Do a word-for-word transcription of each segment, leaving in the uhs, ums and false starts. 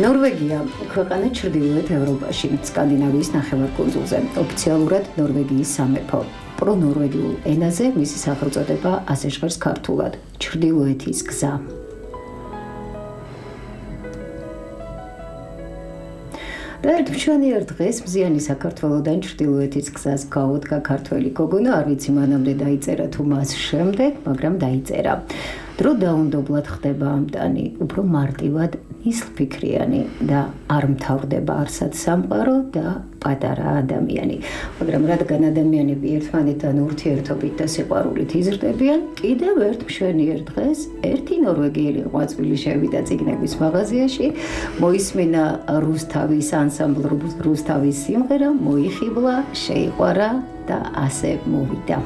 ნორვეგია ქვეყანა ჩრდილოეთ ევროპაში, სკანდინავიის ნახევარკუნძულზე, ოფიციალურად ნორვეგიის სამეფო. პრონორვეგიულ ენაზე მისი სახელწოდება ასე ჟღერს ქართულად: ჩრდილოეთის გზა. და ერთმშვენიერ დღეს მზიანი საქართველოდან ჩრდილოეთის გზას გაუდგა ქართველი გოგონა, არ ვიცი მანამდე დაიწერა თუ მას შემდეგ, მაგრამ დაიწერა. დრო დაუნდობლად ხდება ამტანი, უფრო მარტივად ნისლფიქრიანი და არ მთავრდება არსად სამყარო და პატარა ადამიანი. მაგრამ რადგან ადამიანები ერთმანეთთან ურთიერთობით და სიყვარულით იზრდებიან, კიდევ ერთ მშვენიერ დღეს ერთი ნორვეგიელი ღვაწლი შევიდა წიგნების მაღაზიაში, მოისმინა რუსთავის ანსამბლ რუსთავის სიმღერა, მოიხიბლა, შეიყვარა და ასე მოვიდა.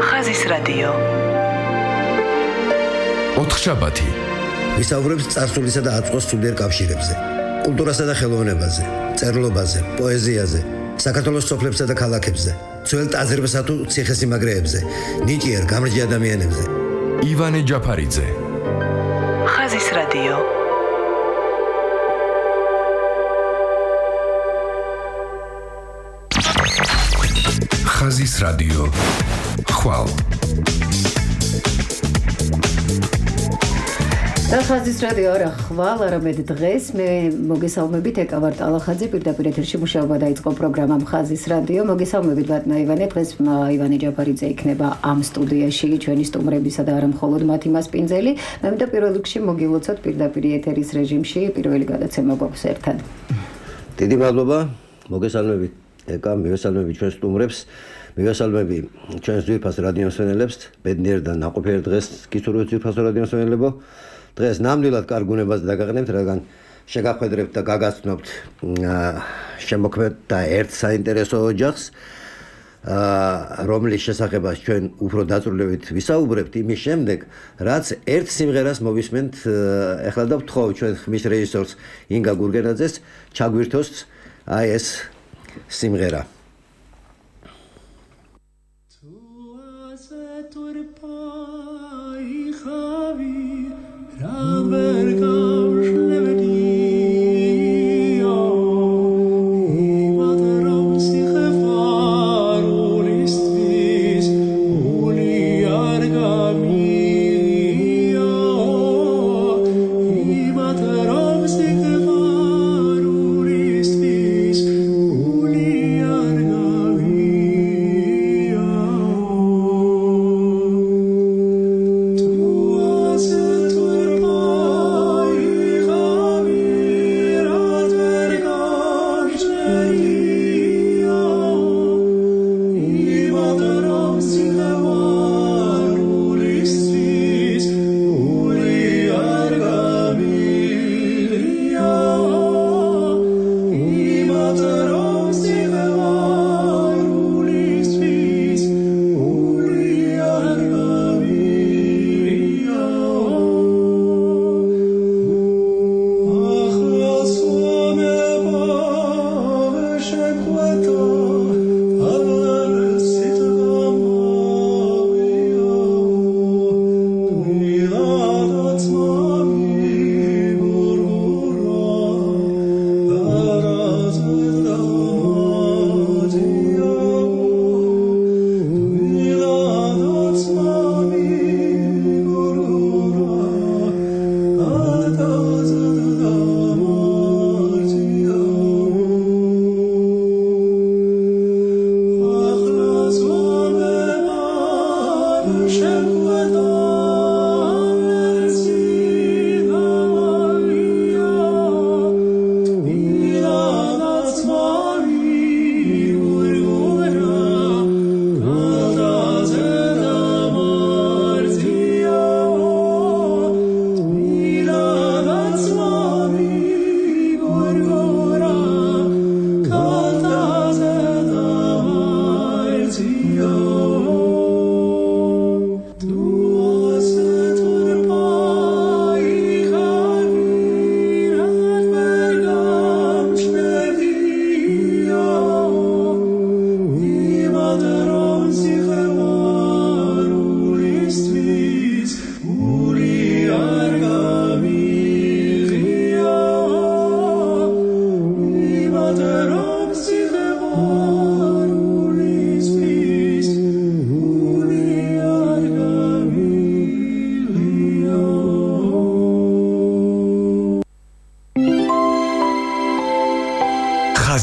ხაზის რადიო. ოთხშაბათი. ვისაუბრებს წარსულისა და აწმყოს სულიერ კავშირებზე, კულტურასა და ხელოვნებაზე, წერლობაზე, პოეზიაზე, საქართველოს სოფლებსა და ქალაქებზე, ძველ ტაძრებსა თუ ციხესიმაგრეებზე, ნიჭიერ გამრჯი ადამიანებზე. ივანე ჯაფარიძე. ხაზის რადიო. ხაზის რადიო. ხვალ. და ხაზის რადიო არა ხვალ, არამედ დღეს მე მოგესალმებით, ეკავარ ტალახაძე, პირდაპირ ეთერში მუშაობა დაიწყო პროგრამამ ხაზის რადიო. მოგესალმებით ბატონო ივანე, დღეს ივანე ჯაფარიძე იქნება ამ სტუდიაში, ჩვენი სტუმრებისა და არა მხოლოდ მათი მასპინძელი. მე მინდა პირველ რიგში მოგილოცოთ პირდაპირ ეთერის რეჟიმში, პირველი გადაცემა გვაქვს ერთად. დიდი მადლობა, მოგესალმებით ეკა, მივესალმები ჩვენ სტუმრებს, მივესალმები ჩვენს ძვირფას რადიომსმენელებს, ბედნიერ და ნაყოფიერ დღეს გისურვებთ ძვირფასო რადიომსმენელებო. დღეს ნამდვილად კარგ უნებას დაგაგნებთ, რადგან შეგახვედრებთ და გაგაცნობთ შემოქმედ და ერთ საინტერესო ოჯახს, რომლის შესახებაც ჩვენ უფრო დაწვრილებით ვისაუბრებთ იმის შემდეგ, რაც ერთ სიმღერას მოვისმენთ ახლა და ვთხოვ ჩვენ ხმის რეჟისორს ინგა გურგენაძეს ჩაგვირთოს აი ეს სიმღერა. Tu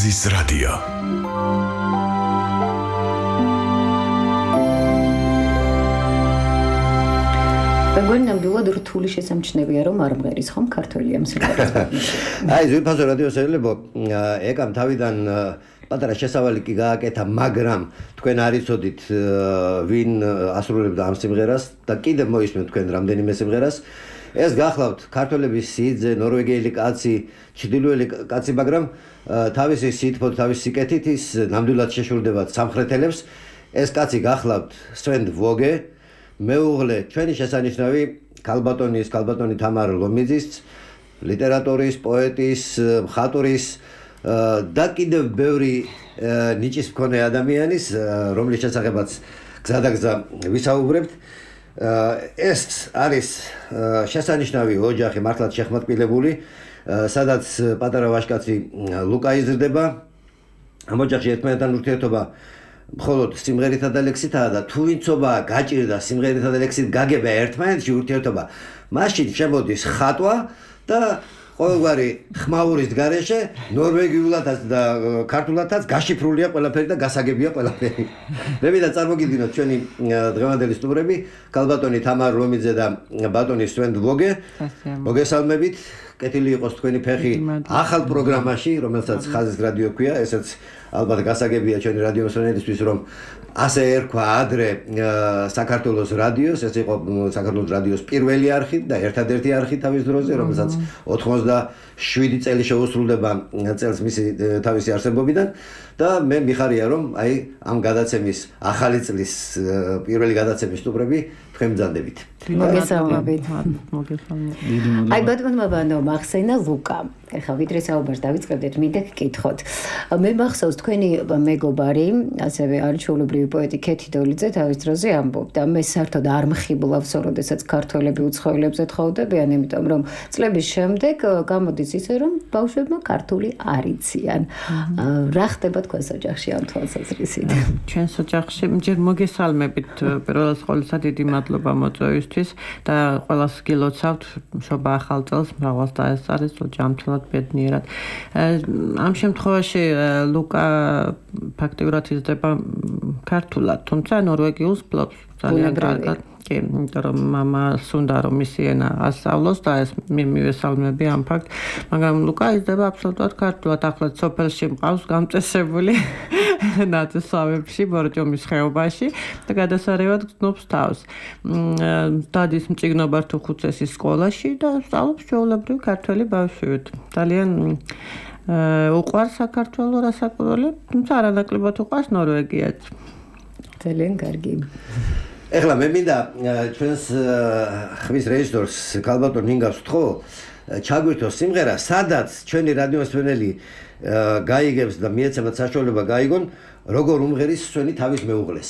ხაზის რადიო. მეგონი ნამდვილად რთული შესამჩნევია რომ არ მღერის ხომ ქართველი ამ სიმღერას. აი ზვირფასო რადიოსელებო ეკამ თავიდან პატარა შესავალი კი გააკეთა, მაგრამ თქვენ არ იცოდით ვინ ასრულებდა ამ სიმღერას და კიდევ მოისმენთ თქვენ რამდენიმე სიმღერას. ეს გახლავთ ქართველების სიძე, ნორვეგიელი კაცი, ჩრდილოელი კაცი, მაგრამ თავისი სითბოთ, თავისი სიკეთით ის ნამდვილად შეშურდებათ სამხრეთელებს. ეს კაცი გახლავთ სვენ ვოგე, მეუღლე ჩვენი შესანიშნავი ქალბატონის, ქალბატონი თამარ ლომიძის, ლიტერატორის, პოეტის, მხატვრის და კიდევ ბევრი ნიჭის მქონე ადამიანის, რომლის შესახებაც გზადაგზა ვისაუბრებთ. ეს არის შესანიშნავი ოჯახი, მართლაც შეხმატკილებული, სადაც პატარა ვაჟკაცი ლუკა იზრდება. ამ ოჯახში ერთმანეთთან ურთიერთობა მხოლოდ სიმღერითა და ლექსითაა და თუ ვინცობა გაჭირდა სიმღერითა და ლექსით გაგება ერთმანეთში ურთიერთობა, მაშინ შემოდის ხატვა და ყოველგვარი ხმაურის გარეშე ნორვეგიულადაც და ქართულადაც გაშიფრულია ყველაფერი და გასაგებია ყველაფერი. მე მინდა წარმოგიდგინოთ ჩვენი დღევანდელი სტუმრები, ქალბატონი თამარ ლომიძე და ბატონი სვენ ვოგე. მოგესალმებით. კეთილი იყოს თქვენი ფეხი ახალ პროგრამაში, რომელსაც ხაზის რადიო ქვია, ესეც ალბათ გასაგებია ჩვენი რადიოსმენელისთვის, რომ ასე ერქვა ადრე საქართველოს რადიოს, ეს იყო საქართველოს რადიოს პირველი არხი და ერთადერთი არხი თავის დროზე, რომელსაც ოცდაშვიდი წელი შეუსრულდება წელს მისი თავისი არსებობიდან და მე მიხარია, რომ აი ამ გადაცემის ახალი წლის პირველი გადაცემის სტუმრები თქვენ მზადებით. მოგესალმებით. აი ბატონმა ბანო მახსენა ლუკა. ეხლა ვიდრე საუბარს დავიწყებდეთ, მინდა გკითხოთ. მე მახსოვს თქვენი მეგობარი, ასევე არჩეულებრივი პოეტი ქეთი დოლიძე თავის დროზე ამბობდა, მე საერთოდ არ მხიბლავს, როდესაც ქართველები უცხოელებზე თხოვდებიან, იმიტომ რომ წლების შემდეგ გამოდის ისე, რომ ბავშვებმა ქართული არ იციან. რა ხდება თქვენს ოჯახში ამ თვალსაზრისით? ჩვენს ოჯახში ჯერ მოგესალმებით, პირველად ყოვლისა დიდი მადლობა მოწვევისთვის და ყველას გილოცავთ მშობა ახალ წელს, მრავალს დაესწარეს ჯანმრთელად ბედნიერად. ამ შემთხვევაში ლუკა ფაქტიურად იზრდება ქართულად, თუმცა ნორვეგიულს ფლობს ძალიან კარგად. კი, იმიტომ რომ მამას უნდა რომ მისი ენა ასწავლოს და ეს მივესალმები ამ ფაქტს, მაგრამ ლუკა იზრდება აბსოლუტურად ქართულად. ახლა სოფელში მყავს გამწესებული ნათესავებში, ბორჯომის ხეობაში და გადასარევად გრძნობს თავს. დადის მწიგნობართუხუცესის სკოლაში და სწავლობს ჩვეულებრივ ქართველი ბავშვივით. ძალიან უყვარს საქართველო რასაკვირველი, თუმცა არანაკლებად უყვარს ნორვეგიაც. ძალიან კარგი. ეხლა მე მინდა ჩვენს ხმის რეჟისორს ქალბატონ ნინგავს ვთხოვ, ჩაგვირთოს სიმღერა, სადაც ჩვენი რადიოსმენელი გაიგებს და მიეცემათ საშუალება გაიგონ, როგორ უმღერის სვენი თავის მეუღლეს.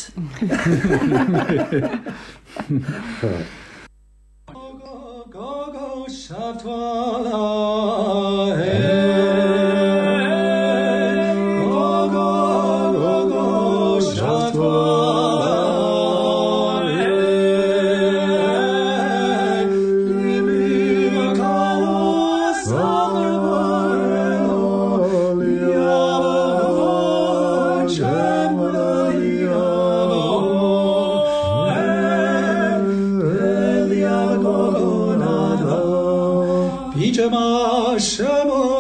Shema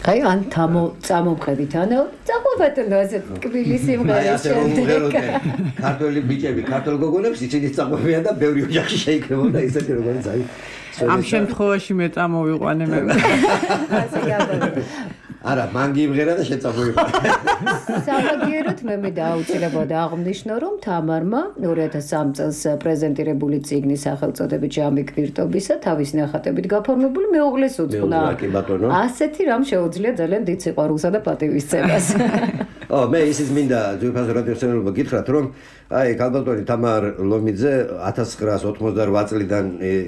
აი ან თამო წამომყევით ანუ წაყვებატონო ასე კბილი სიმღერა შემდეგ ქართველი ბიჭები ქართულ გოგონებს ისინი წაყვებიან და ბევრი ოჯახი შეიკრებოდა ისეთი როგორც აი ამ შემთხვევაში მე წამოვიყვანე მე ასე გაბა არა მან გიმღერა და შეწამოვიყვანე სამაგიეროდ მე მე დაუწილებოდ აღნიშნო რომ თამარმა ორი ათას სამი წელს პრეზენტირებული წიგნის სახელწოდებით ჟამი კვირტობისა თავის ნახატებით გაფორმებული მეუღლეს უძღვნა ასეთი რამ შეუძლია ძალიან დიდ სიყვარულსა და პატივისცემას ო მე ისიც მინდა ძვირფას რადიოსმენელობა გითხრათ რომ აი ქალბატონი თამარ ლომიძე ათას ცხრაას ოცდაოთხ წლიდან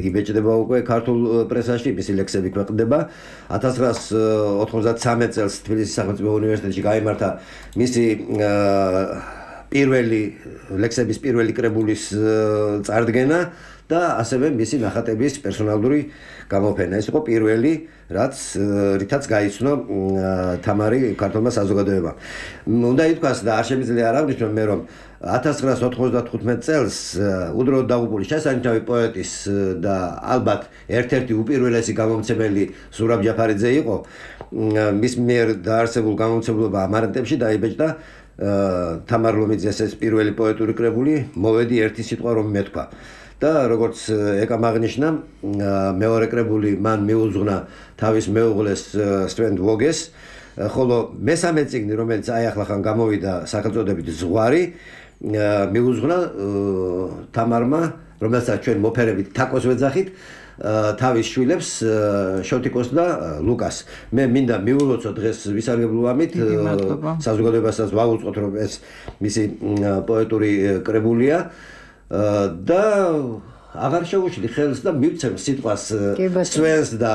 იბეჭდება უკვე ქართულ პრესაში მისი ლექსები ქვეყნდება ათას ცხრაას ოთხმოცდათსამი წელს თბილისის სახელმწიფო უნივერსიტეტში გაიმართა მისი პირველი ლექსების პირველი კრებულის წარდგენა და ასევე მისი ნახატების პერსონალური გამოფენა. ეს იყო პირველი, რაც რითაც გაიცნო თამარი ქართულმა საზოგადოებამ. უნდა ითქვას და არ შემიძლია არ აღნიშნო მე რომ ათას ცხრაას ოთხმოცდათხუთმეტ წელს უდროოდ დაღუპული შესანიშნავი პოეტის და ალბათ ერთ-ერთი უპირველესი გამომცემელი ზურაბ ჯაფარიძე იყო. მის მიერ დაარსებულ გამომცემლობა ამარანტებში დაიბეჭდა თამარ ლომიძეს ეს პირველი პოეტური კრებული მოვედი ერთი სიტყვა რომ მეთქვა. და როგორც ეკამ აღნიშნა მეორე კრებული მან მიუძღვნა თავის მეუღლეს სტვენ ვოგეს ხოლო მესამე წიგნი რომელიც აი ახლახან გამოვიდა სახელწოდებით ზღვარი მიუძღვნა თამარმა რომელსაც ჩვენ მოფერებით თაკოს ვეძახით თავის შვილებს შოთიკოს და ლუკას მე მინდა მიულოცო დღეს ვისარგებლო ამით საზოგადოებასაც ვაუწყოთ რომ ეს მისი პოეტური კრებულია და აღარ შეუშლი ხელს და მივცემ სიტყვას სვენს და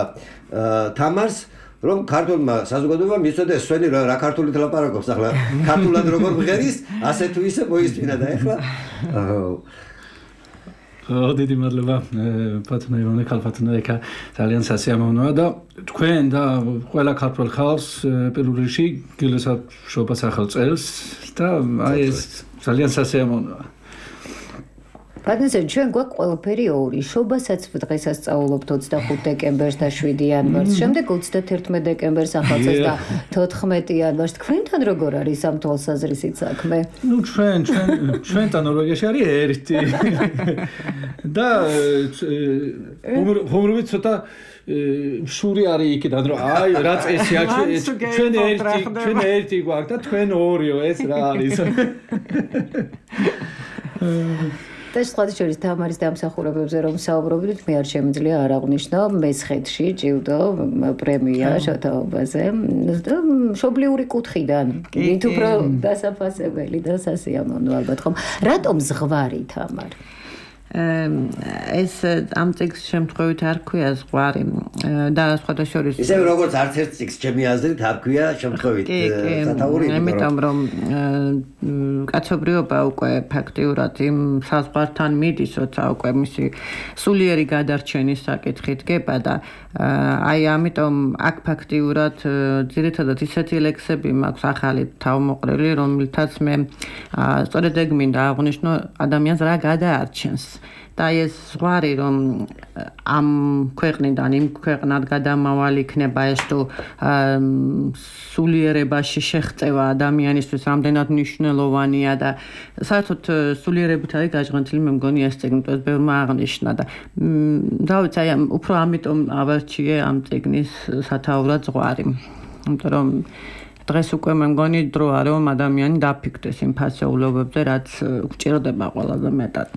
თამარს რომ ქართულმა საზოგადოებამ იცოდეს სვენი რა ქართულით ლაპარაკობს ახლა ქართულად როგორ მღერის ასე თუ ისე მოისმინა და ახლა ო დიდი მადლობა პატნა ივანე ქალბატონო ეკა ძალიან სასიამოვნოა და თქვენ და ყველა ქართულ ხალხს პირველ რიგში გილოცავთ სახელწელს და აი ეს ძალიან სასიამოვნოა პატნესე ჩვენ გვაქვს ყველაფერი ორი შობასაც დღესაც სწავლობთ ოცდახუთი დეკემბერს და შვიდი იანვარს შემდეგ ოცდათერთმეტი დეკემბერს ახალწელს და თოთხმეტი იანვარს თქვენთან როგორ არის ამ თვალსაზრისით საქმე ნუ ჩვენ ჩვენ ჩვენთან ნორვეგიაში არის ერთი და ხომრობით ცოტა შური არის იქიდან რომ აი რა წესია ჩვენ ერთი ჩვენ ერთი გვაქვს და თქვენ ორიო ეს რა არის და სხვა შორის თამარის დამსახურებებზე რომ საუბრობდით მე არ შემიძლია არ აღვნიშნო მესხეთში ჭივდო პრემია შოთაობაზე და მშობლიური კუთხიდან მით უფრო დასაფასებელი და სასიამოვნო ალბათ ხომ რატომ ზღვარი თამარ ეს ამ წიგნს შემთხვევით არ ქვია ზღვარი და სხვათა შორის ისე როგორც არც ერთ წიგნს ჩემი აზრით არ ქვია შემთხვევით სათაური იმიტომ რომ კაცობრიობა უკვე ფაქტიურად იმ საზღვართან მიდის როცა უკვე მისი სულიერი გადარჩენის საკითხით გება და აი ამიტომ აქ ფაქტიურად ძირითადად ისეთი ლექსები მაქვს ახალი თავმოყრილი რომელთაც მე სწორედ ეგ მინდა აღვნიშნო ადამიანს რა გადაარჩენს და ეს ზღვარი რომ ამ ქვეყნიდან იმ ქვეყნად გადამავალი იქნება ეს თუ სულიერებაში შეხწევა ადამიანისთვის რამდენად მნიშვნელოვანია და საერთოდ სულიერებით არის გაჟღენთილი მე მგონი ეს წიგნი ეს ბევრმა აღნიშნა და დავით აი უფრო ამიტომ ავარჩიე ამ წიგნის სათაურად ზღვარი იმიტომ რომ დღეს უკვე მე მგონი დროა რომ ადამიანი დაფიქრდეს იმ ფასეულობებზე რაც გვჭირდება ყველაზე მეტად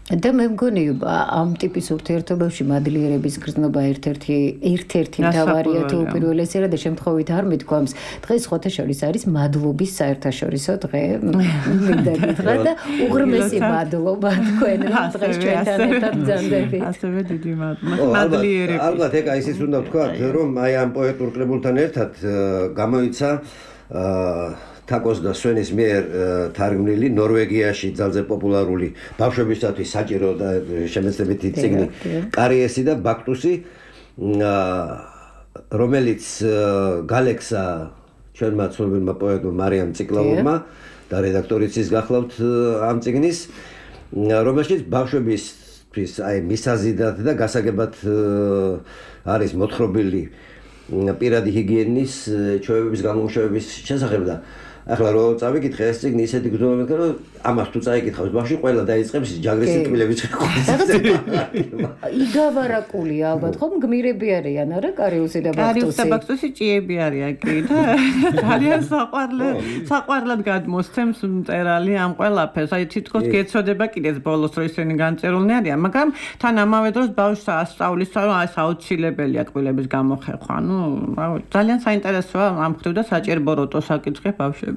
და მე მგონი ამ ტიპის ურთიერთობებში მადლიერების გრძნობა ერთ-ერთი ერთ-ერთი მთავარია თუ უპირველესია და შემთხვევით არ მithქვამს დღეს სხვათა შორის არის მადლობის საერთაშორისო დღე მინდა გითხრა და უღრმესი მადლობა თქვენ რომ დღეს ჩვენთან ერთად ბრძანდებით ასევე დიდი მადლობა მადლიერების ალბათ ეგ ისიც უნდა ვთქვა რომ აი ამ პოეტურ კრებულთან ერთად გამოიცა თაკოს და სვენის მიერ თარგმნილი ნორვეგიაში ძალზე პოპულარული ბავშვებისათვის საჭირო და შემეცნებითი წიგნი კარიესი და ბაქტუსი რომელიც გალექსა ჩვენმა ცნობილმა პოეტმა მარიამ ციკლავურმა და რედაქტორიც ის გახლავთ ამ წიგნის რომელშიც ბავშვებისთვის აი მისაზიდად და გასაგებად არის მოთხრობილი პირადი ჰიგიენის ჩვევების გამომუშავების შესახებ და ახლა რო წავიკითხე ეს წიგნი ისეთი გრძნობებით რომ ამას თუ წაიკითხავს ბავშვი ყველა დაიწყებს ჯაგრის სიტყვილებით იგავარაკული ალბათ ხო გმირები არიან არა კარიუსი და ბაქტუსი კარიუსი და ბაქტუსი ჭიები არიან კი და ძალიან საყვარლად საყვარლად გადმოსცემს მწერალი ამ ყველაფერს აი თითქოს გეცოდება კიდეც ბოლოს რომ ისინი განწერულნი არიან მაგრამ თან ამავე დროს ბავშვს ასწავლის რომ ეს აუცილებელია კბილების გამოხერხვა ანუ ძალიან საინტერესოა ამ ხრივ და საჭირო როტო საკითხი ბავშვებს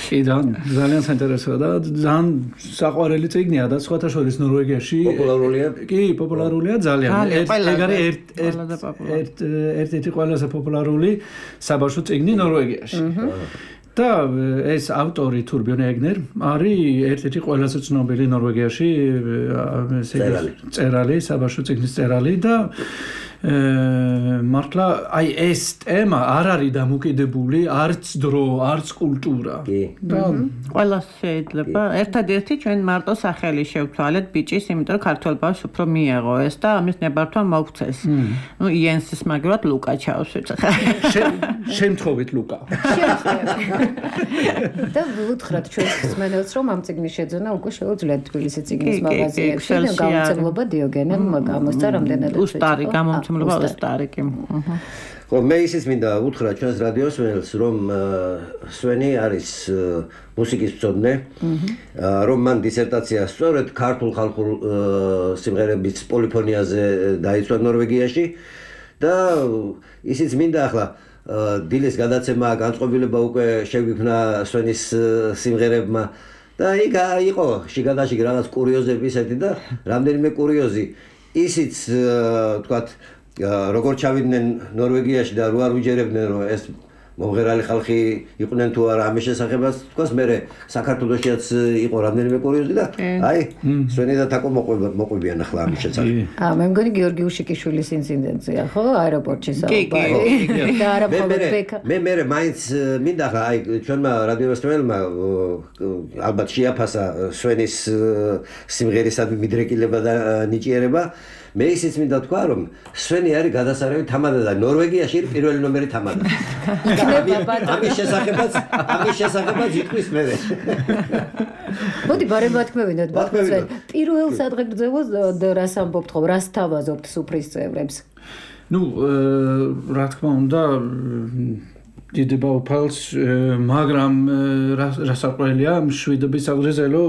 კი და ძალიან საინტერესოა და ძალიან საყვარელი წიგნია და სხვათა შორის ნორვეგიაში პოპულარულია კი პოპულარულია ძალიან ეგ არის ერთ-ერთი ყველაზე პოპულარული საბავშვო წიგნი ნორვეგიაში და ეს ავტორი თურბიონ ეგნერ არის ერთ-ერთი ყველაზე ცნობილი ნორვეგიაში წერალი საბავშვო წიგნის წერალი და მართლა აი ეს თემა არ არის დამოკიდებული არც დრო, არც კულტურა. და ყველა შეიძლება ერთადერთი ჩვენ მარტო სახელი შევთვალეთ ბიჭის, იმიტომ რომ ქართველ ბავშვს უფრო მიეღო ეს და ამის ნებართვა მოგვცეს. ნუ იენსის მაგრად ლუკა ჩავსვით. შემთხვევით ლუკა. და ვუთხრათ ჩვენ მსმენელს რომ ამ წიგნის შეძენა უკვე შეუძლიათ თბილისის წიგნის მაღაზიებში და გამოცემლობა დიოგენემ გამოსცა რამდენადაც უსტარი გამომცემლობა უსტარიკი. ხო მე ისიც მინდა უთხრა ჩვენს რადიოსმენელს რომ სვენი არის მუსიკის მცოდნე რომ მან დისერტაცია სწორედ ქართულ ხალხურ სიმღერების პოლიფონიაზე დაიცვა ნორვეგიაში და ისიც მინდა ახლა დილის გადაცემა განწყობილება უკვე შეგვიქმნა სვენის სიმღერებმა და იქ იყო შიგადაშიგ რაღაც კურიოზები ისეთი და რამდენიმე კურიოზი ისიც თქვათ როგორ ჩავიდნენ ნორვეგიაში და რო არ უჯერებდნენ რომ ეს მომღერალი ხალხი იყვნენ თუ არა ამის შესახებაც თქვას მე საქართველოშიც იყო რამდენიმე კურიოზი და აი სვენი და თაკო მოყვებიან ახლა ამის შესახებ. აა მე მგონი გიორგი უშიკიშვილის ინციდენტია ხო აეროპორტში საუბარი და არა პრობლემა. მე მე მაინც მინდა ახლა აი ჩვენმა რადიოსმენელმა ალბათ შეაფასა სვენის სიმღერისადმი მიდრეკილება და ნიჭიერება მე ისიც მინდა თქვა რომ სვენი არის გადასარევი თამადა და ნორვეგიაში არის პირველი ნომერი თამადა. ამის შესახებაც ამის შესახებაც იტყვის მე. მოდი ბარემ ბათქმევინოთ ბათქმევინოთ. პირველ სადღეგრძელოს რას ამბობთ ხო რას თავაზობთ სუფრის წევრებს? ნუ რა თქმა უნდა დიდება უფალს მაგრამ რასაყრელია მშვიდობის აღრეზელო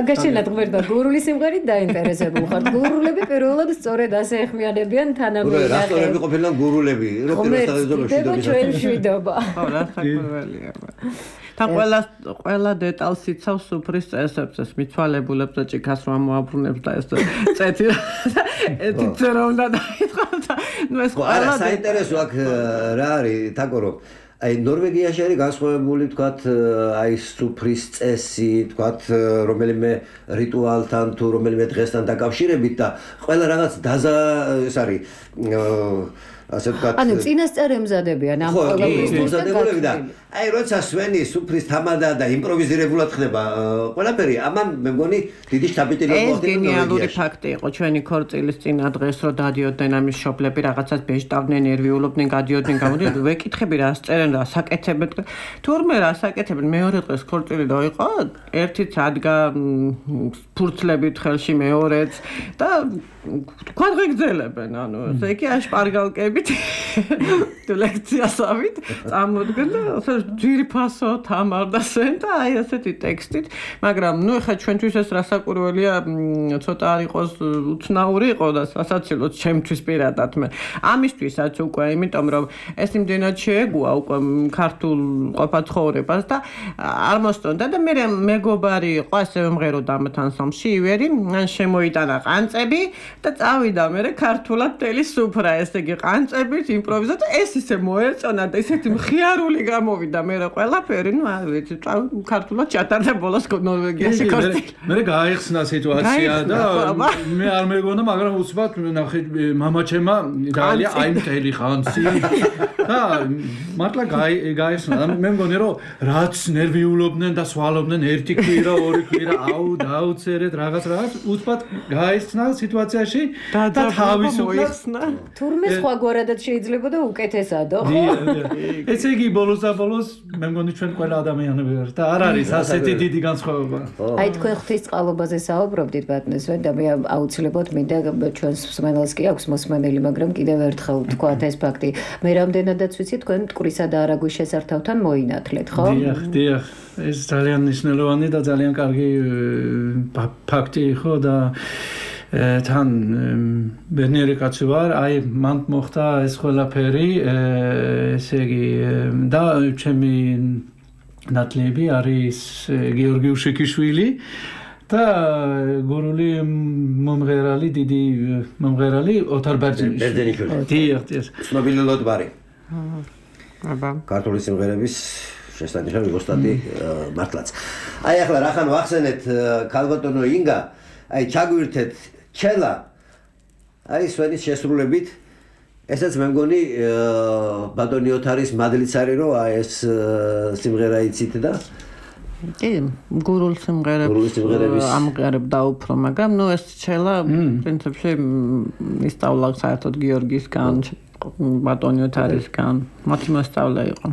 აგაშენად ღმერთმა გურული სიმღერით დაინტერესებულ ხართ გურულები პირველად სწორედ ასე ეხმიანებიან თანამედროვე რასტორები ყოფილან გურულები რო პირველად ჩვენ მშვიდობა ხო რასაყრელია თან ყველა ყველა დეტალს იცავს სუფრის წესებს ეს მიცვალებულებს და ჭიქას რომ მოაბრუნებს და ეს წეთი ეთი წერა უნდა დაიწყოს და ნუ ეს ყველა საინტერესო აქ რა არის თაკო რომ აი ნორვეგიაში არის განსხვავებული თქვათ აი სუფრის წესი თქვათ რომელიმე რიტუალთან თუ რომელიმე დღესთან დაკავშირებით და ყველა რაღაც დაზა ეს არის ასე ვთქვათ ანუ წინასწარ ემზადებიან ამ ყველაფრის და აი როცა სვენი სუფრის თამადა და იმპროვიზირებულად ხდება ყველაფერი ამან მე მგონი დიდი შტაბიტილი მოხდება ეს გენიალური ფაქტი იყო ჩვენი ქორწილის წინა დღეს რო დადიოდნენ ამის შობლები რაღაცას ბეჭდავდნენ ნერვიულობდნენ გადიოდნენ გამოდიოდნენ ვეკითხები რა წერენ რა საკეთებენ თურმე რა საკეთებენ მეორე დღეს ქორწილი დაიყო ერთიც ადგა ფურცლებით ხელში მეორეც და ქვადღეგრძელებენ ანუ ესე იგი აშპარგალკებით თუ ლექციასავით წამოდგენ და ძირფასო თამარ და სენ და აი ასეთი ტექსტით მაგრამ ნუ ეხა ჩვენთვის ეს რასაკვირველია ცოტა არ იყოს უცნაური იყო და სასაცილო ჩემთვის პირადად მე ამისთვისაც უკვე იმიტომ რომ ეს იმდენად შეეგუა უკვე ქართულ ყოფაცხოვრებას და არ მოსტონდა და მე მეგობარი იყო ასე მომღეროდა ამ თანსამში ივერი მან შემოიტანა ყანწები და წავიდა მე ქართულად თელი სუფრა ესე იგი ყანწებით იმპროვიზა და ეს ისე მოეწონა და ესეთი მხიარული გამოვიდა მე ყველაფერი ნუ არ ვიცი ქართულად ჩატარდა ბოლოს ნორვეგიაში ქორწილი მე გაიხსნა სიტუაცია და მე არ მეგონა მაგრამ უცბად ნახე მამაჩემა დაალია აი მთელი ხანსი და მართლა გაიხსნა მე მგონი რომ რაც ნერვიულობდნენ და სვალობდნენ ერთი კვირა ორი კვირა აუ დაუცერეთ რაღაც რაღაც უცბად გაიხსნა სიტუაციაში და თავისუფლად თურმე სხვაგვარი ამგვარადაც შეიძლება და უკეთესადო. ესე იგი ბოლოს და ბოლოს მე მგონი ჩვენ ყველა ადამიანები ვართ და არ არის ასეთი დიდი განსხვავება. აი თქვენ ღვთისწყალობაზე საუბრობდით ბატონო და მე აუცილებლად მინდა ჩვენს მსმენელს კი აქვს მოსმენელი, მაგრამ კიდევ ერთხელ ვთქვათ ეს ფაქტი. მე რამდენადაც ვიცი თქვენ მტკვრისა და არაგვის შესართავთან მოინათლეთ, ხო? დიახ, დიახ. ეს ძალიან მნიშვნელოვანი და ძალიან კარგი ფაქტი იყო და თან ბედნიერი კაცი ვარ, აი მან მოხდა ეს ყველაფერი, ესე იგი და ჩემი ნათლები არის გიორგი უშიქიშვილი და გურული მომღერალი, დიდი მომღერალი ოთარ ბერძენიშვილი. დიახ, დიახ. ცნობილი ლოტბარი. აბა. ქართული სიმღერების შესანიშნავი ოსტატი მართლაც. აი ახლა რახან ვახსენეთ ქალბატონო ინგა, აი ჩაგვირთეთ ჩელა. აი სვენის შესრულებით ესაც მე მგონი ბატონი ოთარის მადლიც არის რომ აი ეს სიმღერა იცით და კი გურულ სიმღერებს ამღერებდა უფრო, მაგრამ ნუ ეს ჩელა პრინციპში ისწავლა საერთოდ გიორგისგან, ბატონი ოთარისგან, მათი მოსწავლე იყო.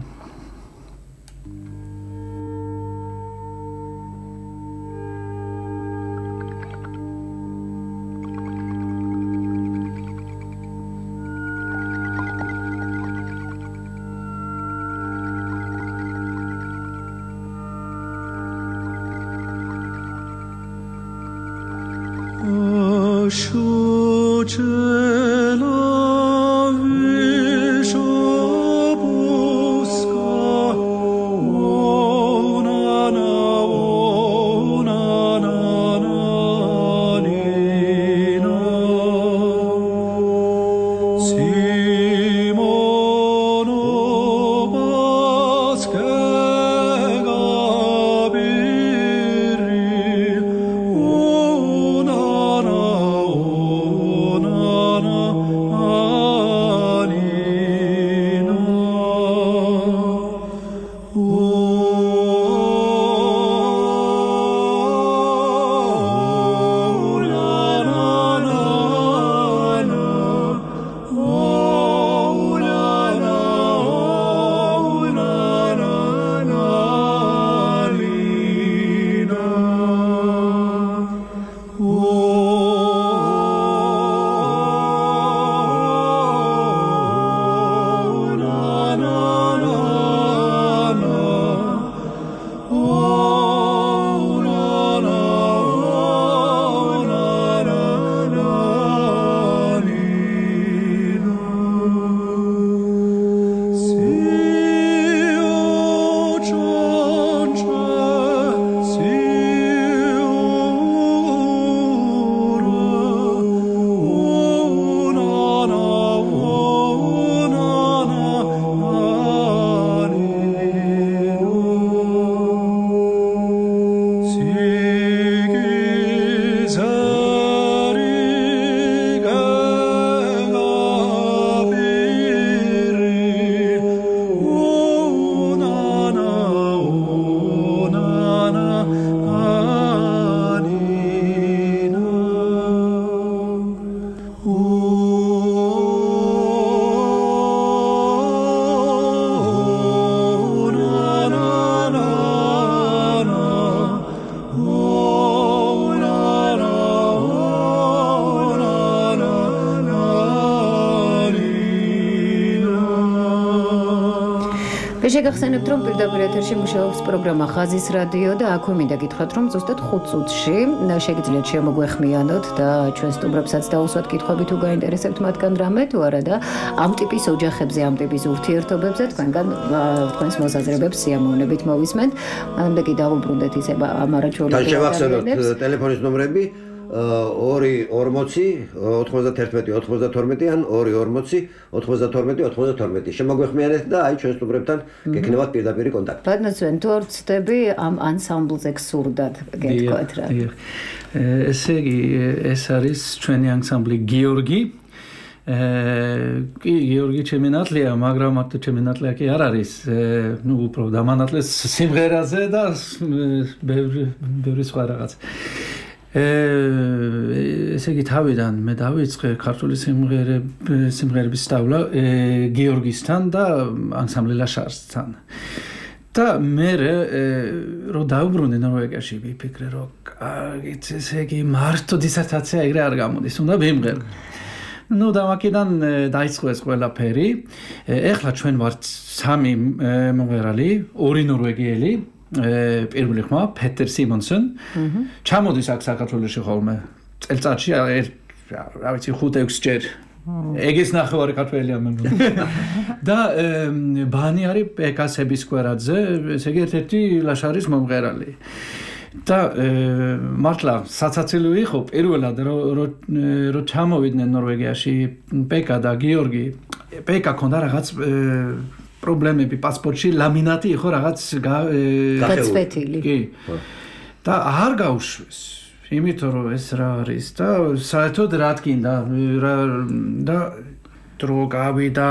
შეგახსენებთ რომ პირდაპირ ეთერში მუშაობს პროგრამა ხაზის რადიო და აქვე მინდა გითხრათ რომ ზუსტად ხუთ წუთში შეგიძლიათ შემოგვეხმიანოთ და ჩვენ სტუმრებსაც დაუსვათ კითხვები თუ გაინტერესებთ მათგან რამე თუ არა და ამ ტიპის ოჯახებზე, ამ ტიპის ურთიერთობებზე თქვენგან თქვენს მოსაზრებებს სიამოვნებით მოვისმენთ. მანამდე კი დავუბრუნდეთ ისე ამ არაჩვეულებრივ და შევახსენოთ ტელეფონის ნომრები ორი ორმოცი ოთხმოცდათერთმეტი ოცდათორმეტი ან ორი ორმოცი ოცდათორმეტი ოცდათორმეტი შემოგვეხმიანეთ და აი ჩვენ სტუმრებთან გექნებათ პირდაპირ კონტაქტი. ბატონო ჩვენ თუ არ ვცდები ამ ანსამბლზე გსურდათ გეთქვათ რა. ესე იგი ეს არის ჩვენი ანსამბლი გიორგი. კი გიორგი ჩემი ნათლია, მაგრამ აქ ჩემი ნათლია კი არ არის. ნუ უფრო დამანათლეს სიმღერაზე და ბევრი ბევრი სხვა რაღაც. ესე იგი თავიდან მე დავიწყე ქართული სიმღერების სწავლა გიორგისთან და ანსამბლი ლაშარსთან. და მე რო დავბრუნე ნორვეგიაში ვიფიქრე რომ კარგით ესე იგი მარტო დისერტაცია ეგრე არ გამოდის უნდა ვიმღერო. ნუ და მაკედან დაიწყო ეს ყველაფერი. ეხლა ჩვენ ვართ სამი მომღერალი, ორი ნორვეგიელი, პირველი ხმა პეტერ სიმონსონ. ჩამოდის აქ საქართველოში ხოლმე. წელწადში რა ვიცი ხუთ ექვსი ჯერ. ეგის ნახევარი ქართველია მე მგონი. და ბანი არის პეკა სებისკვერაძე, ესე იგი ერთ-ერთი ლაშარის მომღერალი. და მართლა საცაცილი იყო პირველად რო ჩამოვიდნენ ნორვეგიაში პეკა და გიორგი. პეკა ქონდა რაღაც პრობლემები პასპორტში, ლამინატი იყო რაღაც გაწვეთილი. კი. და არ გაუშვეს. იმიტომ რომ ეს რა არის და საერთოდ რა თქინდა და დრო გავიდა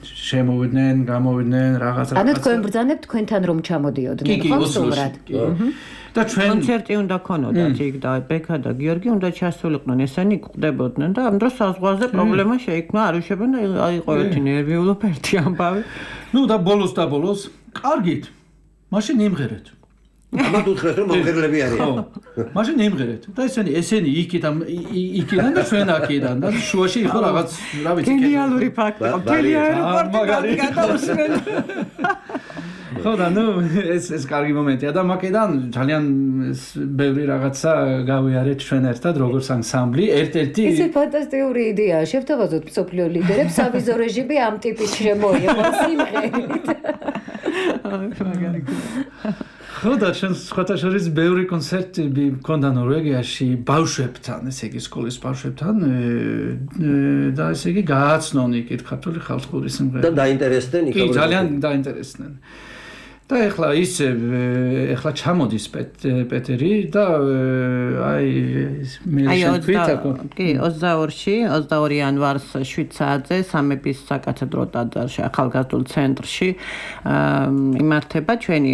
შემოვიდნენ, გამოვიდნენ რაღაც რაღაც. ანუ თქვენ ბრძანებთ თქვენთან რომ ჩამოდიოდნენ ხო სწორად? და ჩვენ კონცერტი უნდა ქონოდათ იქ და ბექა და გიორგი უნდა ჩასულიყვნენ, ესენი გვხვდებოდნენ და ამ დროს საზღვარზე პრობლემა შეიქმნა, არ უშვებენ და აიყო ერთი ნერვიულობა, ერთი ამბავი. ნუ და ბოლოს და ბოლოს კარგით. მაშინ იმღერეთ. ამათ უთხრეს რომ მომღერლები არიან. ხო. მაშინ იმღერეთ. და ესენი ესენი იქიდან იქიდან და ჩვენ აქიდან და შუაში იყო რაღაც, რა ვიცი, გენიალური ფაქტი. მთელი აეროპორტი გადაუსმენ. ხო და ნუ ეს ეს კარგი მომენტია და მაკედან ძალიან ბევრი რაღაცა გავიარეთ ჩვენ ერთად როგორც ანსამბლი ერთ-ერთი ისე ფანტასტიკური იდეაა შევთავაზოთ მსოფლიო ლიდერებს სავიზო რეჟიმი ამ ტიპის შემოიღება სიმღერით. ხო და ჩვენ სხვათა შორის ბევრი კონცერტები მქონდა ნორვეგიაში ბავშვებთან, ესე იგი სკოლის ბავშვებთან და ესე იგი გააცნონ იქით ქართული ხალხური სიმღერა. და დაინტერესდნენ იქ. კი, ძალიან დაინტერესდნენ. და ეხლა ისე ეხლა ჩამოდის პეტერი და აი მე შეგვიტაკო კი ოცდაორში ოცდაორი იანვარს შვიდ საათზე სამების საკათედრო ტაძარში ახალგაზრდულ ცენტრში იმართება ჩვენი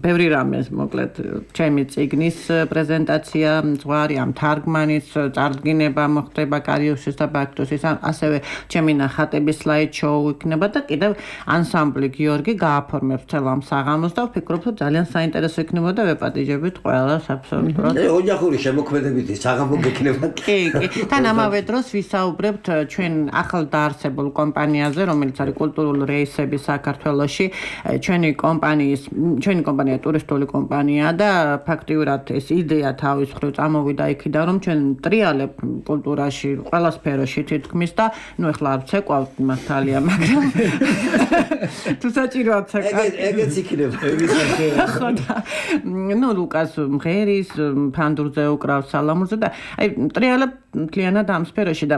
ბევრი რამე მოკლედ ჩემი წიგნის პრეზენტაცია ზღვარი ამ თარგმანის წარდგინება მოხდება კარიუსის და ბაქტოსის ასევე ჩემი ნახატების სლაიდ შოუ იქნება და კიდევ ანსამბლი გიორგი გააფორმებს ამ საღამოს და ვფიქრობ რომ ძალიან საინტერესო იქნება და ვეპატიჟებით ყველას აბსოლუტურად. ოჯახური შემოქმედებითი საღამო გექნება. კი, კი. თან ამავე დროს ვისაუბრებთ ჩვენ ახალ დაარსებულ კომპანიაზე, რომელიც არის კულტურული რეისები საქართველოში. ჩვენი კომპანიის, ჩვენი კომპანია ტურისტული კომპანია და ფაქტიურად ეს იდეა თავის მხრივ წამოვიდა იქიდან რომ ჩვენ ტრიალებ კულტურაში, ყველა სფეროში თითქმის და ნუ ეხლა არ ვცეკვავთ მართალია, მაგრამ თუ საჭიროა ცეკვავ ეგეც იქნება. ხო და ნუ ლუკას მღერის ფანდურზე უკრავს სალამურზე და აი ტრიალებ მთლიანად ამ სფეროში და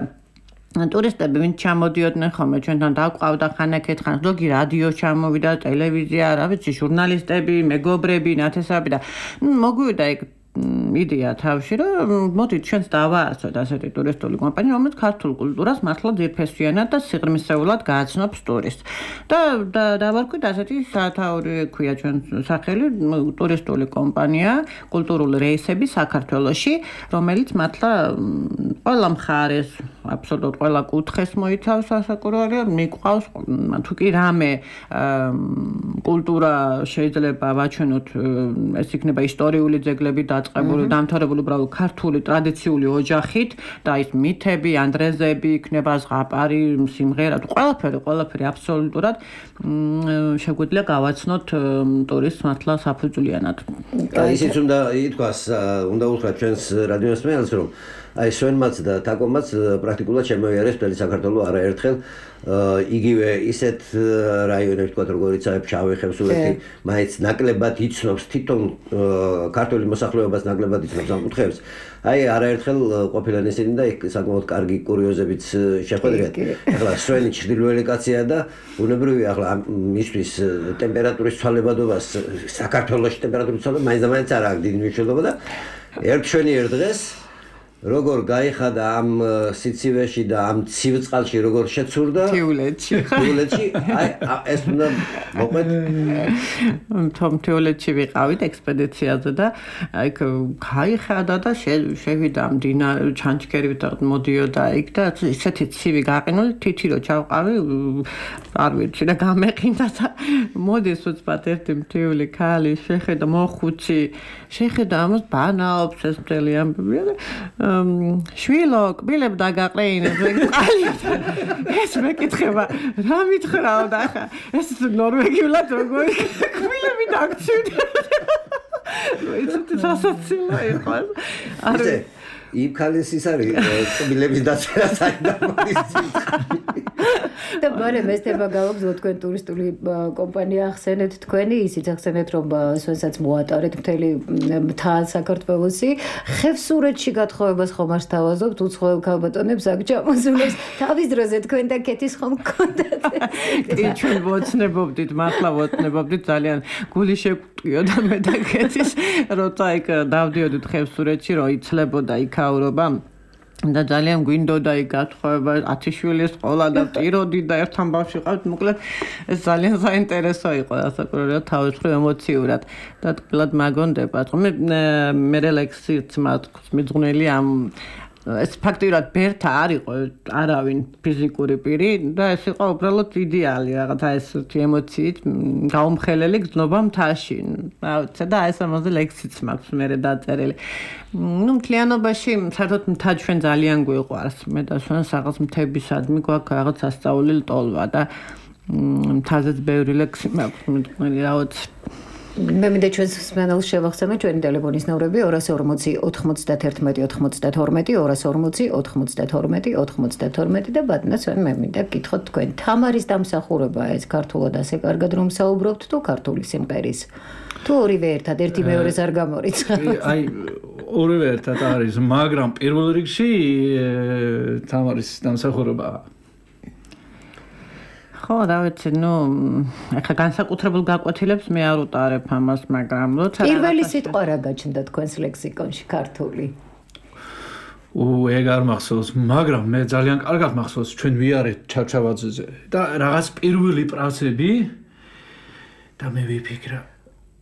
ტურისტები ვინც ჩამოდიოდნენ ხოლმე ჩვენთან დაყვავდა ხანაკეთ ხანს ზოგი რადიო ჩამოვიდა ტელევიზია რა ვიცი ჟურნალისტები მეგობრები ნათესავები და მოგვივიდა ეგ იდეა თავში რომ მოდით ჩვენც დავაარსოთ ასეთი ტურისტული კომპანია რომელიც ქართულ კულტურას მართლა ძირფესვიანად და სიღრმისეულად გააცნობს ტურისტს და დავარქვით ასეთი სათაური ქვია ჩვენ სახელი ტურისტული კომპანია კულტურული რეისები საქართველოში რომელიც მართლა ყველა მხარეს აბსოლუტურად ყველა კუთხეს მოიცავს ასაკურველი მიყვავს თუ კი რამე კულტურა შეიძლება ვაჩვენოთ ეს იქნება ისტორიული ძეგლები და დამთავრებული უბრალოდ ქართული ტრადიციული ოჯახით და ის მითები, ანდრეზები, იქნება ზღაპარი, სიმღერა, ყველაფერი, ყველაფერი აბსოლუტურად შეგვიძლია გავაცნოთ ტურისტს მართლა საფუძვლიანად. და ისიც უნდა ითქვას, უნდა უთხრათ ჩვენს რადიოსმენელს, რომ აი სვენმაც და თაკომაც პრაქტიკულად შემოიარეს მთელი საქართველო არაერთხელ იგივე ისეთ რაიონებში თქვა როგორიც აი ფშავი ხევსურეთი მაინც ნაკლებად იცნობს თვითონ ქართული მოსახლეობას ნაკლებად იცნობს ამ კუთხეებს აი არაერთხელ ყოფილან ისინი და საკმაოდ კარგი კურიოზებიც შეხვედრიათ ახლა სვენი ჩრდილოელი კაცია და უნებრივია ახლა მისთვის ტემპერატურის ცვალებადობას საქართველოში ტემპერატურის ცვალება მაინც და მაინც არ აქვს დიდი მნიშვნელობა და ერთ შვენი ერთ დღეს როგორ გაიხადა ამ სიცივეში და ამ ცივ წყალში როგორ შეცურდა თიულეთში თიულეთში აი ეს უნდა მოყვეთ თომ თიულეთში ვიყავით ექსპედიციაზე და აი გაიხადა და შევიდა მდინა ჩანჩქერივით მოდიოდა იქ და ისეთი ცივი გაყინული თითი რო ჩავყავი არ ვიცი და გამეყინდა და მოდის უცბად ერთი მთიული ქალი შეხედა მოხუცი შეხედა ამას ბანაობს ეს მთელი ამბები და შვილო კბილებ დაგაყრეინებ ეს მეკითხება რა მითხრაო და ხა ეს ნორვეგიულად როგორ კბილები დაგცივდა ეს სასაცილო იყო არა იმ ქალის ის არის კბილების დაწერა საერთოდ და ბარე მესტება გავაგზავნო თქვენ ტურისტული კომპანია ახსენეთ თქვენი ისიც ახსენეთ რომ სვენსაც მოატარეთ მთელი მთა საქართველოსი ხევსურეთში გათხოვებას ხომ არ სთავაზობთ უცხოელ ქალბატონებს აქ ჩამოსულებს თავის დროზე თქვენ და კეთის ხომ გქონდათ კი ჩვენ ვოცნებობდით მართლა ვოცნებობდით ძალიან გული შეგვტყიოდა მე და კეთის როცა იქ დავდიოდით ხევსურეთში რომ იცლებოდა იქაურობა და ძალიან გვინდოდა იქ გათხოვება ათი შვილის სკოლა და ტიროდი და ერთთან ბავშვი ყავთ მოკლედ ეს ძალიან საინტერესო იყო ასაკურებელად თავის მხრივ ემოციურად და თქლად მაგონდება მე მე ლექსიც მიძღვნილი ამ ეს ფაქტიურად ბერთა არ იყო არავინ ფიზიკური პირი და ეს იყო უბრალოდ იდეალი რაღაცა ეს ემოციით გაუმხელელი გზნობა მთაში რა ვიცი და ეს ამაზე ლექსიც მაქვს მე დაწერილი ну მთლიანობაში საერთოდ მთა ჩვენ ძალიან გვიყვარს მე და შენ რაღაც მთებისადმი გვაქვს რაღაც ასწავლილი ტოლვა და მთაზეც ბევრი ლექსი მაქვს მithmeli რაღაც მე მინდა ჩვენს სმენელს შევახსენოთ ჩვენი ტელეფონის ნომრები ორას ორმოცი ოთხმოცდაერთმეტი ოცდათორმეტი ორას ორმოცი ოთხმოცდათორმეტი ოცდათორმეტი და ბატონო ჩვენ მე მინდა გითხოთ თქვენ თამარის დამსახურება ეს ქართულად ასე კარგად რომ საუბრობთ თუ ქართული სიმღერის თუ ორივე ერთად ერთი მეორეს არ გამორიცხავთ აი ორივე ერთად არის მაგრამ პირველ რიგში თამარის დამსახურება ხო, რა ვიცი, ნუ ახლა განსაკუთრებულ გაკვეთილებს მე არ უტარებ ამას, მაგრამ როცა პირველი სიტყვა რა გაჩნდა თქვენს ლექსიკონში ქართული? უ ეგ არ მახსოვს, მაგრამ მე ძალიან კარგად მახსოვს ჩვენ ვიარეთ ჩავჩავაძეზე და რაღაც პირველი პრაცები და მე ვიფიქრა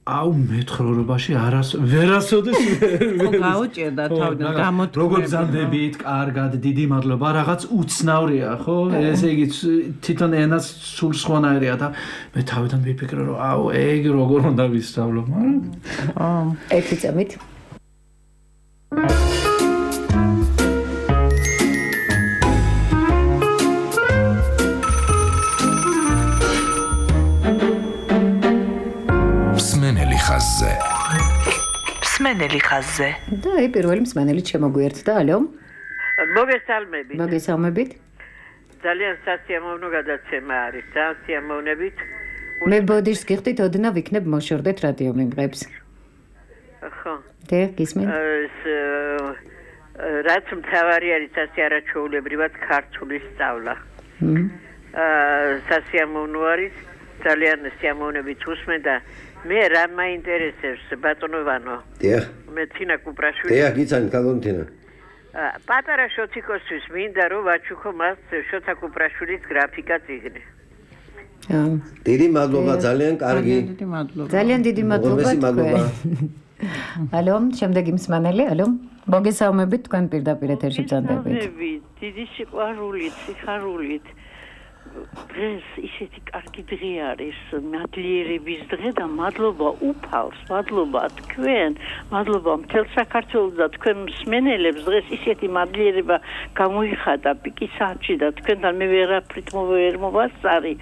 აუ მეცხრობაში არას ვერასოდეს გაუჭირდა თავიდან გამოთქვი როგორ გზანდებით კარგად დიდი მადლობა რაღაც უცნავრია ხო ესე იგი თვითონ ენას სულ სხვანაირია და მე თავიდან ვიფიქრე რომ აუ ეგ როგორ უნდა ვისწავლო მაგრამ აა ერთი წამით ხაზზე. მსმენელი ხაზზე. და აი პირველი მსმენელი შემოგვიერთდა, ალო. მოგესალმებით. მოგესალმებით. ძალიან სასიამოვნო გადაცემა არის, ძალიან სიამოვნებით. მე ბოდიშს გიხდით, ოდნა ვიქნებ მოშორდეთ რადიო მიმღებს. ხო. და გისმენ? ეს რაც მთავარი არის სასიარაჩოულებრივად ქართული სწავლა. აა სასიამოვნო არის, ძალიან სიამოვნებით უსმენ და მე რა მაინტერესებს ბატონო ვანო? დიახ. მე თინა კუპრაშვილი. დიახ, გიცანი კალონთინა. პატარა შოთიკოსთვის მინდა რომ ვაჩუქო მას შოთა კუპრაშვილის გრაფიკა წიგნი. აა. დიდი მადლობა, ძალიან კარგი. დიდი მადლობა. ძალიან დიდი მადლობა თქვენ. ალო, შემდეგი მსმენელი, ალო. მოგესალმებით, თქვენ პირდაპირ ეთერში ბრძანდებით. დიდი სიყვარულით, სიხარულით. დღეს ისეთი კარგი დღე არის, მადლიერების დღე და მადლობა უფალს, მადლობა თქვენ, მადლობა მთელ საქართველოს და თქვენ მსმენელებს დღეს ისეთი მადლიერება გამოიხადა პიკის საათში და თქვენთან მე ვერაფრით ვერ მოვასწარი,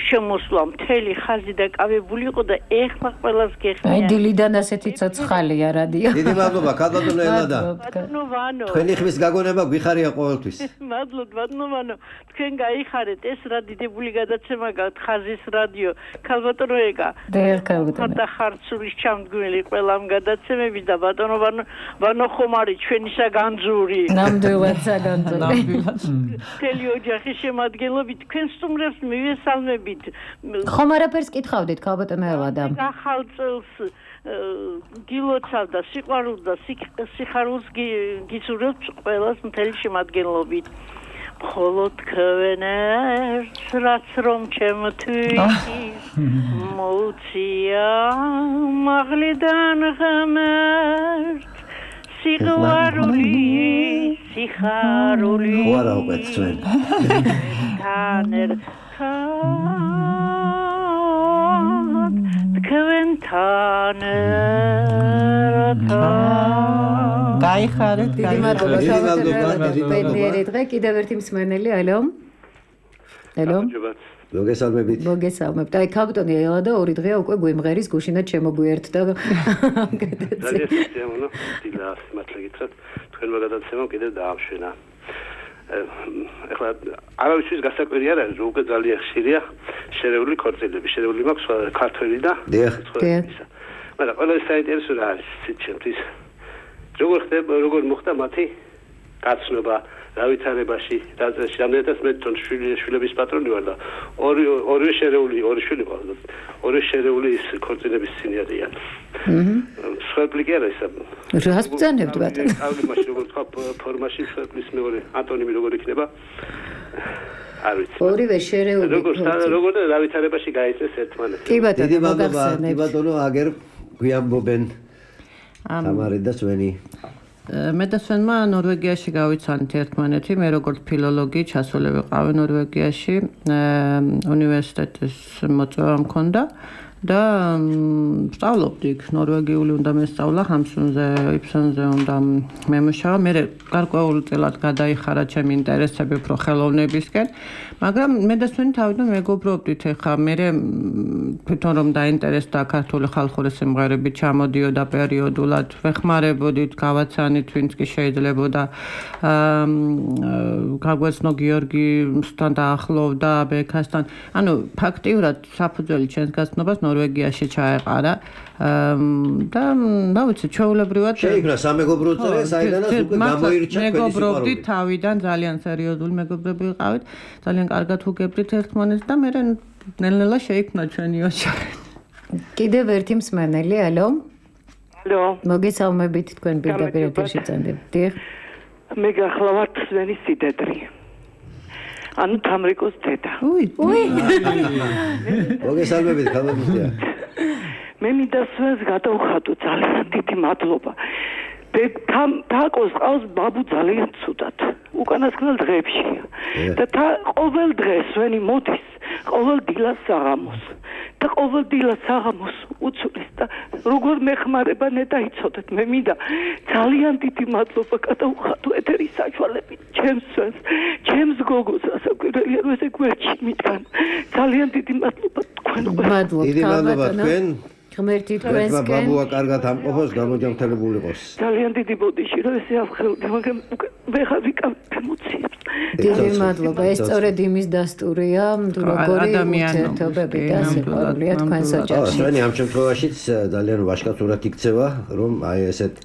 შემოსვლა მთელი ხაზი დაკავებული იყო და ეხლა ყველას გეხმია. აი დილიდან ასეთი ცოცხალია რადიო. დიდი მადლობა, ქალბატონო ელადა. ბატონო ვანო. თქვენი ხმის გაგონება გვიხარია ყოველთვის. მადლობთ ბატონო ვანო, თქვენ გაიხარეთ ეს რა დიდებული გადაცემა გაქვთ ხაზის რადიო. ქალბატონო ეკა. დიახ, ქალბატონო. და ხარცურის ჩამდგმელი ყველამ გადაცემები და ბატონო ვანო ხომარი ჩვენისა განძური. ნამდვილად საგანძური. ნამდვილად. მთელი ოჯახის შემადგენლობით თქვენ სტუმრებს მივესალმებით. ხომ არაფერს კითხავდით ქალბატონო ელადა? ახალ წელს გილოცავდა სიყვარულს და სიხარულს გისურვებთ ყველას მთელი შემადგენლობით. მხოლოდ თქვენ ერთს რაც რომ ჩემთვის მოუწია მაღლიდან ღმერთ სიყვარული სიხარული ხوارა უკვე თქვენ თან ერთად თქვენთან ერთად გაიხარეთ, დიდი მადლობა ბედნიერი დღე კიდევ ერთი მსმენელი ალო ალო მოგესალმებით მოგესალმებთ აი ქალბატონი ელადა ორი დღეა უკვე გვიმღერის გუშინად შემოგვიერთდა ძალიან სიამოვნო დილას მართლა გითხრათ თქვენმა გადაცემამ კიდევ დაამშვენა ეხლა არავისთვის გასაკვირი არ არის რომ უკვე ძალიან ხშირია შერეული ქორწილები შერეული მაქვს ქართველი და დიახ მაგრამ ყველაზე საინტერესო რა არის ჩემთვის როგორ ხდება როგორ მოხდა მათი გაცნობა გავითარებაში დაწესში რამდენადაც მე თვითონ შვილების პატრონი ვარ და ორი ორი შერეული ორი შვილი ყავს ორი შერეული ის ქორწინების წინი არიან აჰა სვეპლი კი არა ისა რას ბრძანებთ ბატონო ავი მაშინ როგორ თქვა ფორმაში სვეპლის მეორე ანტონიმი როგორ იქნება არ ვიცი ორივე შერეული როგორ როგორ გავითარებაში გაიწეს ერთმანეთს კი ბატონო დიდი მადლობა კი ბატონო აგერ გვიამბობენ თამარი და სვენი მე და სვენმა ნორვეგიაში გავიცანით ერთმანეთი მე როგორც ფილოლოგი ჩასული ვიყავი ნორვეგიაში უნივერსიტეტის მოწვევა მქონდა და სწავლობდი ნორვეგიული უნდა მესწავლა ჰამსუნზე იფსონზე უნდა მემუშავა მე გარკვეულწილად გადაიხარა ჩემი ინტერესები უფრო ხელოვნებისკენ მაგრამ მე და სვენი თავიდან მეგობრობდით ეხა მე თვითონ რომ დაინტერესდა ქართული ხალხური სიმღერებით ჩამოდიოდა პერიოდულად ვეხმარებოდით გავაცანით ვინც კი შეიძლებოდა გაგვეცნო გიორგისთან დაახლოვდა ბექასთან ანუ ფაქტიურად საფუძველი ჩვენს გაცნობას ნორვეგიაში ჩაეყარა და რა ვიცი ჩვეულებრივად შეიქმნა სამეგობრო წრე საიდანაც უკვე გამოირჩა ჩვენი მეგობრობდი თავიდან ძალიან სერიოზული მეგობრები ვიყავით ძალიან კარგად უგებდით ერთმანეთს და მე ნელ-ნელა შეიქმნა ჩვენი ოჯახი კიდევ ერთი მსმენელი ალო ალო მოგესალმებით თქვენ პირდაპირ ეთერში წამდებთ მე გახლავართ სვენის სიდედრი ანუ თამრიკოს დედა უი უი მოგესალმებით ქალბატონია მე მინდა სვენს გადავხატო ძალიან დიდი მადლობა თაკოს ყავს ბაბუ ძალიან ცუდად უკანასკნელ დღეებშია და ყოველ დღეს სვენი მოდის ყოველ დილას საღამოს და ყოველ დილას საღამოს უცulis და როგორ მეხმარება ნედაიცოდეთ მე მინდა ძალიან დიდი მადლობა გადავხატო ეთერის საშუალებით ჩემს სვენს ჩემს გოგოს ასაკვირველია რომ ესე გვერდში მიტან ძალიან დიდი მადლობა თქვენ მადლობა დიდი მადლობა თქვენ ღმერთი თქვენსკენ ბაბუა კარგად ამყოფოს გამოჯანმრთელებული იყოს ძალიან დიდი ბოდიში რომ ესე ავხელდი მაგრამ ვეღარ ვიკავებ ემოციებს დიდი მადლობა ეს სწორედ იმის დასტურია როგორი ურთიერთობები და სიყვარულია თქვენს ოჯახში სვენი ამ შემთხვევაშიც ძალიან ვაშკაცურად იქცევა რომ აი ესეთ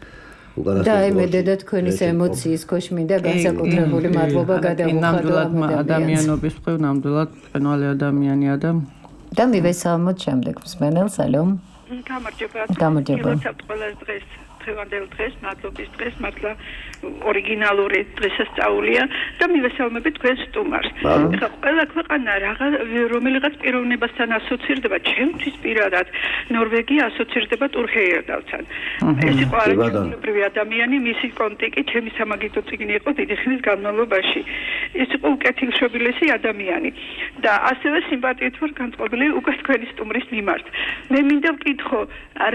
და აი მე დედა თქვენის ემოციის ქვეშ მინდა განსაკუთრებული მადლობა გადავუხადო ადამიანობის მხრივ ნამდვილად ყენვალი ადამიანია და და მივესალმოთ შემდეგ მსმენელს ალო გამარჯობა გამარჯობა ყველას დღეს დღევანდელ დღეს მადლობის დღეს მართლა ორიგინალური დღესასწაულია და მივესალმებით თქვენ სტუმარს. ეხლა ყველა ქვეყანა რაღა რომელიღაც პიროვნებასთან ასოცირდება, ჩემთვის პირადად ნორვეგია ასოცირდება ტურჰეიერდალთან. ეს იყო არაჩვეულებრივი ადამიანი, მისი კონტიკი ჩემი სამაგისტრო წიგნი იყო დიდი ხნის განმავლობაში. ეს იყო უკეთილშობილესი ადამიანი და ასევე სიმპათიით ვარ განწყობილი უკვე თქვენი სტუმრის მიმართ. მე მინდა ვკითხო,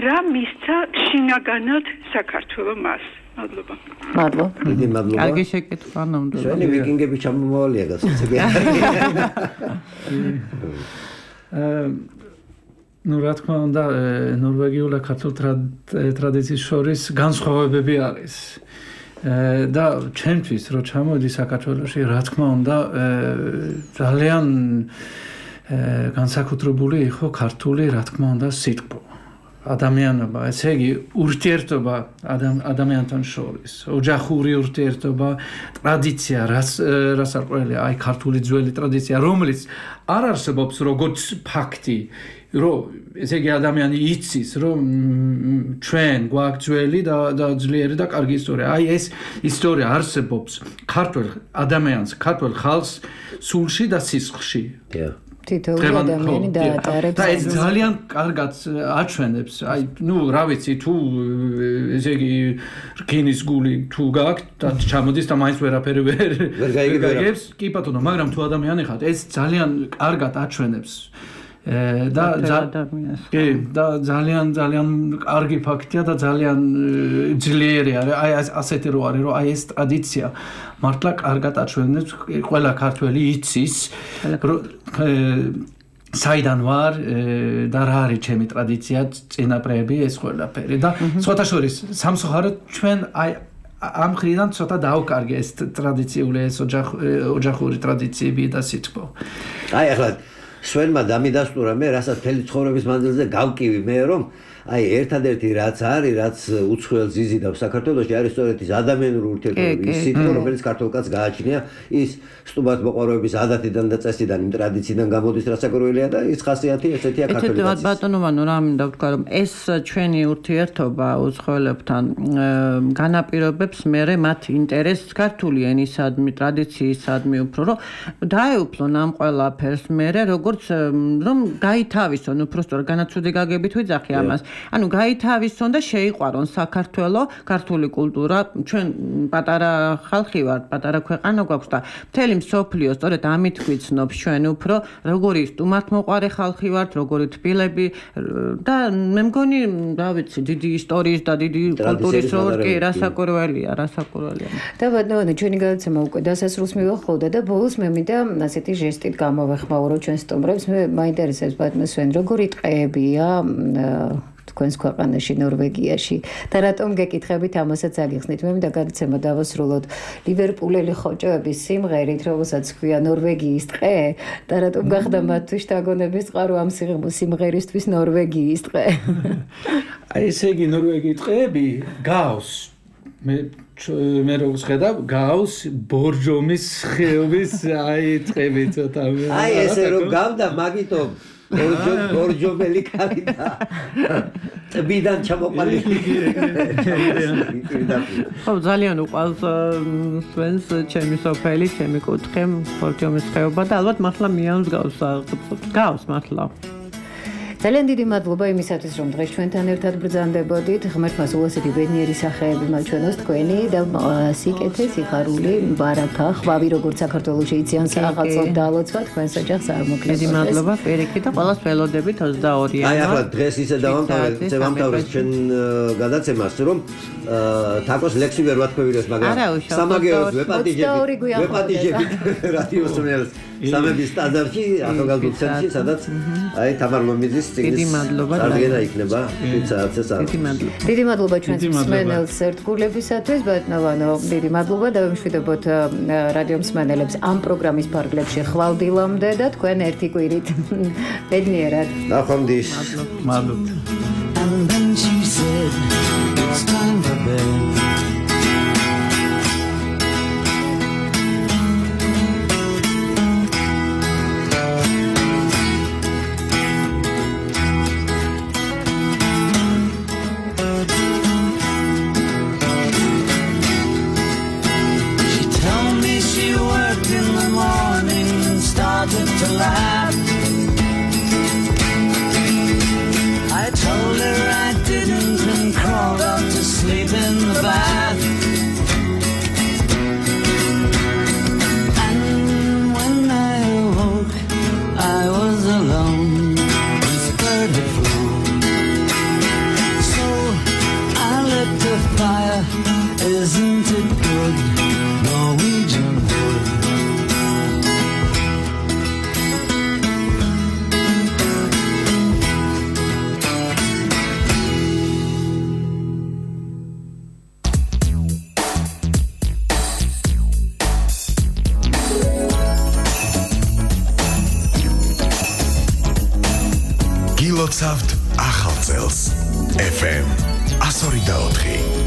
რა მისცა შინაგანად საქართველოს მას? მადლობა. მადლობა. დიდი მადლობა. კარგი შეკითხვა ნამდვილად. ჩვენი ვიკინგები ჩამომავალია გასაცებია. ну რა თქმა უნდა ნორვეგიულ და ქართულ ტრადიციის შორის განსხვავებები არის. და ჩემთვის რო ჩამოვიდი საქართველოში, რა თქმა უნდა, ძალიან განსაკუთრებული იყო ქართული, რა თქმა უნდა, სიტყვა. ადამიანობა, ესე იგი, ურთიერთობა ადამიანთან შორის, ოჯახური ურთიერთობა, ტრადიცია, რას არ ყველა, აი ქართული ძველი ტრადიცია, რომელიც არ არსებობს როგორც ფაქტი, რომ ესე იგი ადამიანი იცის, რომ ჩვენ გვაქვს ძველი და და ძლიერი და კარგი ისტორია. აი ეს ისტორია არსებობს ქართულ ადამიანს, ქართულ ხალხს სულში და სისხლში. თითოეული ადამიანი დაატარებს. და ეს ძალიან კარგად აჩვენებს. აი, ნუ, რა ვიცი, თუ ესე იგი რკინის გული თუ გააქვთ და ჩამოდის და მაინც ვერაფერი ვერ გაიგებს, კი ბატონო, მაგრამ თუ ადამიანი ხართ, ეს ძალიან კარგად აჩვენებს. და კი, და ძალიან ძალიან კარგი ფაქტია და ძალიან ძლიერი არის. აი ასეთი რო არის, რომ აი ეს ტრადიცია მართლა კარგად აჩვენებს, ყველა ქართველი იცის, საიდან ვარ და რა არის ჩემი ტრადიცია, წინაპრები, ეს ყველაფერი და სხვათა შორის სამწუხაროდ ჩვენ აი ამ ხრიდან ცოტა დაუკარგე ეს ტრადიციული ეს ოჯახური ტრადიციები და სიტყვა. აი ახლა სვენმა დამიდასტურა მე რასაც მთელი ცხოვრების მანძილზე გავკივი მე რომ აი ერთადერთი რაც არის რაც უცხოელს იზიდავს საქართველოში არის სწორედ ის ადამიანური ურთიერთობები ის სიტყვა რომელიც ქართულ კაცს გააჩნია ის სტუმართ მოყვარების ადათიდან და წესიდან იმ ტრადიციიდან გამოდის რასაკვირველია და ის ხასიათი ესეთია ქართული კაცის. ბატონო რა მინდა ვთქვა რომ ეს ჩვენი ურთიერთობა უცხოელებთან განაპირობებს მერე მათ ინტერესს ქართული ენისადმი ტრადიციისადმი უფრო რომ დაეუფლონ ამ ყველაფერს მერე როგორც რომ გაითავისონ უფრო სწორ განაცუდი გაგებით ვიძახი ამას ანუ გაითავისონ და შეიყვარონ საქართველო, ქართული კულტურა, ჩვენ პატარა ხალხი ვართ, პატარა ქვეყანა გვაქვს და მთელი მსოფლიო სწორედ ამით გვიცნობს ჩვენ უფრო, როგორი სტუმართმოყვარე ხალხი ვართ, როგორი თბილები და მე მგონი, რა ვიცი, დიდი ისტორიის და დიდი კულტურის როლი რასაკვირველია, რასაკვირველია. და ბატონო, ჩვენი გადაცემა უკვე დასასრულს მივახოდა და ბოლოს მე მინდა ასეთი ჟესტით გამოვეხმაურო ჩვენ სტუმრებს, მე მაინტერესებს ბატონო სვენ, როგორი ტყეებია თქვენს ქვეყანაში ნორვეგიაში და რატომ გეკითხებით ამასაც აგიხსნით მე მინდა გადაცემა დავასრულოთ ლივერპულელი ხოჭოების სიმღერით რომელსაც ქვია ნორვეგიის ტყე და რატომ გახდა მათთვის შთაგონების წყარო ამ სიმღერისთვის ნორვეგიის ტყე აი ესე იგი ნორვეგიის ტყეები გავს მე მე როგორც ხედავ გავს ბორჯომის ხეობის აი ტყეები ცოტა აი ესე რომ გავდა მაგითო ბორჯომელი კარი და ტბიდან ჩამოყალიბი. ხო ძალიან უყვარს სვენს ჩემი სოფელი, ჩემი კუთხე, ბორჯომის ხეობა და ალბათ მართლა მიანს გავს გავს მართლა. ძალიან დიდი მადლობა იმისათვის რომ დღეს ჩვენთან ერთად ბრძანდებოდით. ღმერთმა სულ ასეთი ბედნიერი სახეები მაჩვენოს თქვენი და სიკეთე, სიხარული, ბარაკა, ხვავი როგორც საქართველოში იციან საახალწლოდ დალოცვა თქვენს ოჯახს არ მოკლეს. დიდი მადლობა პირიქით და ყველას ველოდებით ოცდაორი იანვარი. აი ახლა დღეს ისე დავამთავრეთ, დავამთავრეთ ჩვენ გადაცემას რომ თაკოს ლექსი ვერ ვათქვევინოს, მაგრამ სამაგეოდ ვეპატიჟებით, ვეპატიჟებით რადიოს მერს სამების სტანდარტში ახალგაზრდულ ცენტრში, სადაც აი თამარ მომიძის დიდი მადლობა წარდგენა იქნება შვიდ საათზე საათს. დიდი მადლობა. დიდი მადლობა ჩვენს მსმენელს ერთგულებისათვის, ბატონო, დიდი მადლობა და ვიმშვიდობოთ რადიო მსმენელებს ამ პროგრამის ფარგლებში ხვალდილამდე და თქვენ ერთი კვირით ბედნიერად. ნახვამდის. მადლობა. And then she said it's time for bed. To laugh. I told her I didn't and crawled off to sleep in the გილოცავთ ახალ წელს. ეფ ემ one oh four.